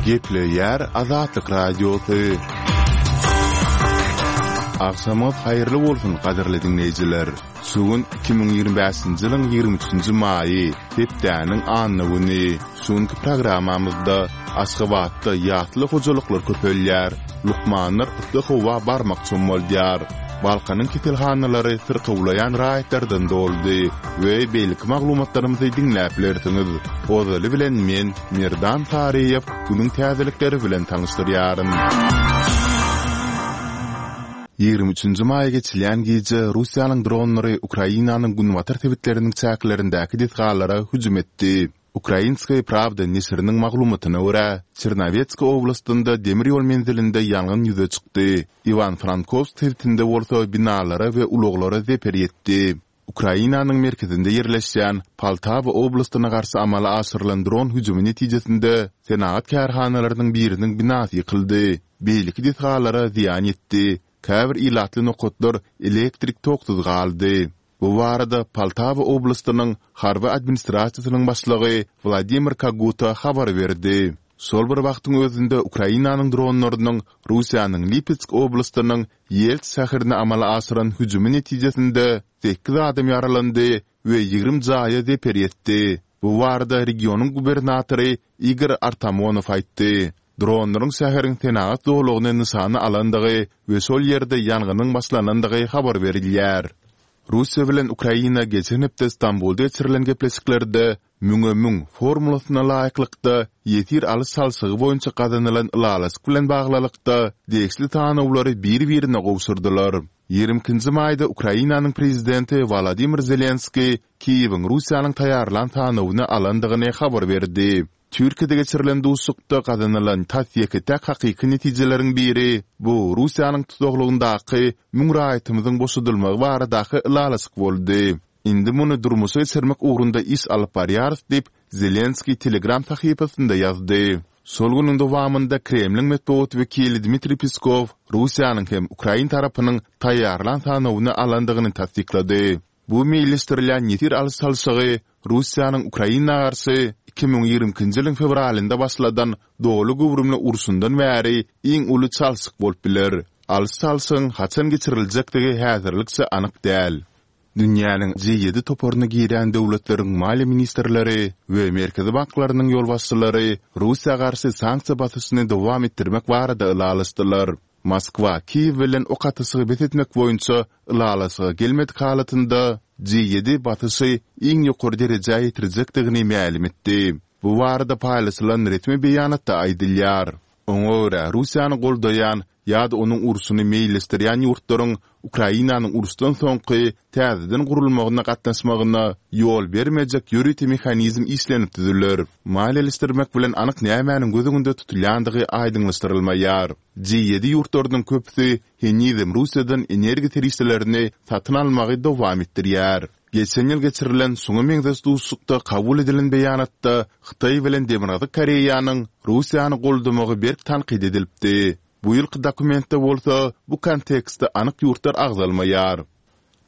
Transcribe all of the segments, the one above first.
Gepleýär Azatlyk Radiosy. Agşamyňyz haýyrly bolsun, gadyrly diňleýjiler! Şu gün 2025-nji ýylyň 23-nji maýy, hepdäniň anna güni. Şu günki programmamyzda Aşgabatda ýasly hojalyklar köpelýär, lukmanlar yssy howa barmak çommaldyar, Balkanyň keselhanalary syrkawlaýan raýatlardan doldy we beýleki maglumatlarymyzy diňläp bilersiňiz. Ozaly bilen men, Merdan Saryýew, günüň täzelikleri bilen tanyşdyrýaryn. 23-nji maýa geçilýän gije Russiýanyň dronlary Ukrainanyň günbatar sebitleriniň çäklerindäki desgalara hüjüm etdi. Ukrainskaýa prawda neşiriniň maglumatyna görä, Çernowetsk oblastynda demir ýol menzilinde ýangyn ýüze çykdy, Iwan-Frankowsk sebitinde bolsa binalara we ulaglara zeper ýetdi. Ukrainanyň merkezinde ýerleşýän Poltawa oblastyna garşy amala aşyrylan dron hüjümi netijesinde senagat kärhanalarynyň biriniň binasy ýykyldy, beýleki desgalara zyýan ýetdi, käbir ilatly nokatlar elektrik toksuz galdy. Bu barada Poltawa oblastynyň harby administrasiýasynyň başlygy Wladimir Kaguta habar berdi. Şol bir wagtyň özünde Ukrainanyň dronlarynyň Russiýanyň Lipetsk oblastynyň Ýelts şäherine amala aşyran hüjümi netijesinde sekiz adam ýaralandy we 20 jaýa zeper ýetdi. Bu barada regionyň gubernatory Igor Artamonow aýtdy. Dronlaryň şäheriň senagat zolagyny nyşana alandygy we şol ýerde ýangynyň başlanandygy habar berilýär. Russiýa bilen Ukraina geçen hepde Stambulda geçirilen gepleşiklerde müňe müň formulasyna laýyklykda ýesir alyş-çalşygy boýunça gazanylan ylalaşyk bilen baglylykda degişli sanawlary bir-birine gowşurdylar. 22-nji maýda Ukrainanyň prezidenti Wolodymyr Zelenskiý Kiýewiň Russiýanyň taýýarlan sanawyny alandygyny habar berdi. Türkiýede geçirilen duşuşykda gazanylan tas ýeke-täk hakyky netijeleriň biri, bu Russiýanyň tussaglygyndaky müň raýatymyzyň boşadylmagy baradaky ylalaşyk boldy. Indi muny durmuşa geçirmek ugrunda iş alyp barýarys diýip, Zelenskiý Telegram sahypasynda ýazdy. Şol günüň dowamynda Kremliň metbugat wekili Dmitriý Peskow Russiýanyň hem ukrain tarapynyň taýýarlan sanawyny alandygyny tassyklady. Bu meýilleşdirilýän ýesir alyş-çalşygy Russiýanyň Ukraina garşy 2022-nji ýylyň fewralynda başladan doly göwrümli urşundan bäri iň uly çalşyk bolup biler. Alyş-çalşygyň haçan geçiriljekdigi häzirlikçe anyk däl. Dünýäniň G-ýedi toparyna girýän döwletleriň maliýe ministrleri we merkezi banklarynyň ýolbaşçylary Russiýa garşy sanksiýa basyşyny dowam etdirmek barada ylalaşdylar. Moskwa Kiýew bilen ok atyşygy bes etmek boýunça ylalaşyga gelmedik halatynda, G-ýedi basyşy iň ýokary derejä ýetirjekdigini mälim etdi. Bu barada paýlaşylan resmi beýanatda aýdylýar. Oňa görä, Russiýany goldaýan ýa-da onuň urşuny meýilleşdirýän ýurtlaryň Ukrainanyň uruşdan soňky täzeden gurulmagyna gatnaşmagyna ýol bermejek ýörite mehanizm işlenip düzüler. Maliýeleşdirmek bilen anyk nämäniň göz öňünde tutulýandygy aýdyňlaşdyrylmaýar. G-ýedi ýurtlarynyň köpüsi henizem Russiýadan energiýa serişdelerini satyn almagy dowam etdirýär. Geçen ýyl geçirilen şuňa meňzeş duşuşykda kabul edilen beýanatda Hytaý bilen Demirgazyk Koreýanyň Russiýany goldamagy berk tankyt edilipdi. Bu ýylky dokumentde bolsa bu kontekstde anyk ýurtlar agzalmaýar.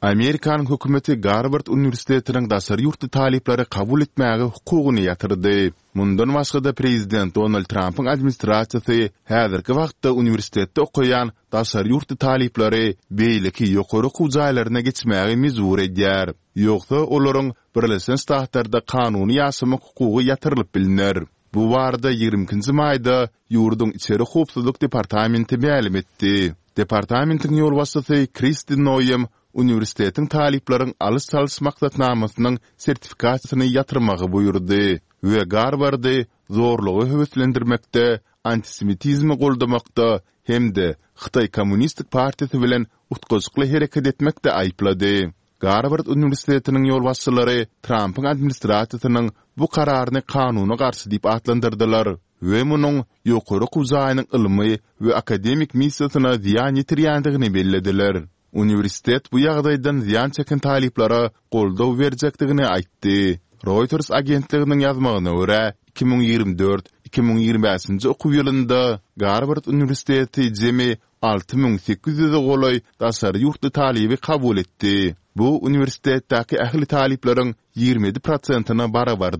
Amerikanyň hökümeti Garward uniwersitetiniň daşary ýurtly talyplary kabul etmäge hukugyny ýatyrdy. Mundan başga-da prezident Donald Trampyň administrasiýasy häzirki wagtda uniwersitetde okaýan daşary ýurtly talyplary beýleki ýokary okuw jaýlaryna geçmäge mejbur edýär. Ýogsa olaryň Birleşen Ştatlarda kanuny ýaşamak hukugy ýatyrylyp bilner. Bu barada 22-nji maýda ýurduň Içeri howpsuzlyk departamenti mälim etdi. Departamentiň ýolbaşçysy Kristi Noem uniwersitetiň talyplaryň alyş-çalyş maksatnamasynyň sertifikasiýasyny ýatyrmagy buýurdy we Garwardy zorlugy höweslendirmekde, antisemitizmi goldamakda hem-de Hytaý Kommunistik partiýasy bilen utgaşykly hereket etmekde aýyplady. Garward uniwersitetiniň ýolbaşçylary Trampyň administrasiýasynyň bu kararyny kanuna garşy diýip atlandyrdylar we munuň ýokary okuw jaýynyň ylmy we akademik missiýasyna zyýan ýetirýändigini bellediler. Uniwersitet bu ýagdaýdan zyýan çeken talyplara goldaw berjekdigini aýtdy. Reuters agentliginiň ýazmagyna görä, 2024, 2025-nji okuw ýylynda Garward uniwersiteti jemi 6800-e golaý daşary ýurtly talyby kabul etdi. Bu uniwersitetdäki ähli talyplaryň 27 prosentine barabardyr.